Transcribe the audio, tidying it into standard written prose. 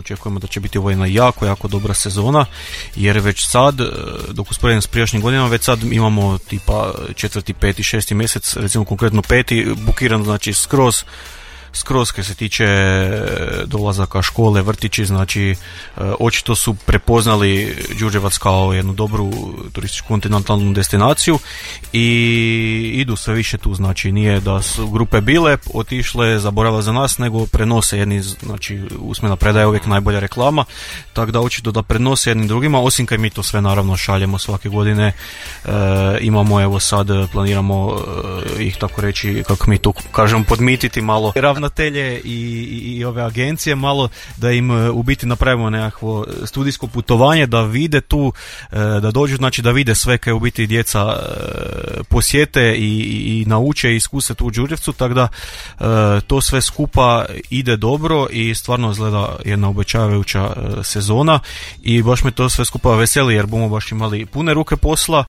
očekujemo da će biti ovo jedna jako dobra sezona, jer već sad, dok usporedim s prijašnjim godinama, već sad imamo tipa 4., 5., 6. mjesec, recimo konkretno 5. bukiran, znači skroz kad se tiče dolazaka, škole, vrtići, znači očito su prepoznali Đurđevac kao jednu dobru turističku kontinentalnu destinaciju i idu sve više tu, znači nije da su grupe bile, otišle, zaboravile za nas, nego prenose jedni, znači usmena predaja je uvijek najbolja reklama, tako da očito da prenose jednim drugima, osim kad mi to sve naravno šaljemo svake godine, imamo evo sad, planiramo ih tako reći, kako mi to kažemo, podmititi malo ravnatelje i ove agencije malo, da im u biti napravimo nekakvo studijsko putovanje, da vide tu, da dođu, znači da vide sve kaj u biti djeca posjete i nauče i iskuse tu u Đurđevcu, tako da to sve skupa ide dobro i stvarno izgleda jedna obećavajuća sezona i baš me to sve skupa veseli jer bomo baš imali pune ruke posla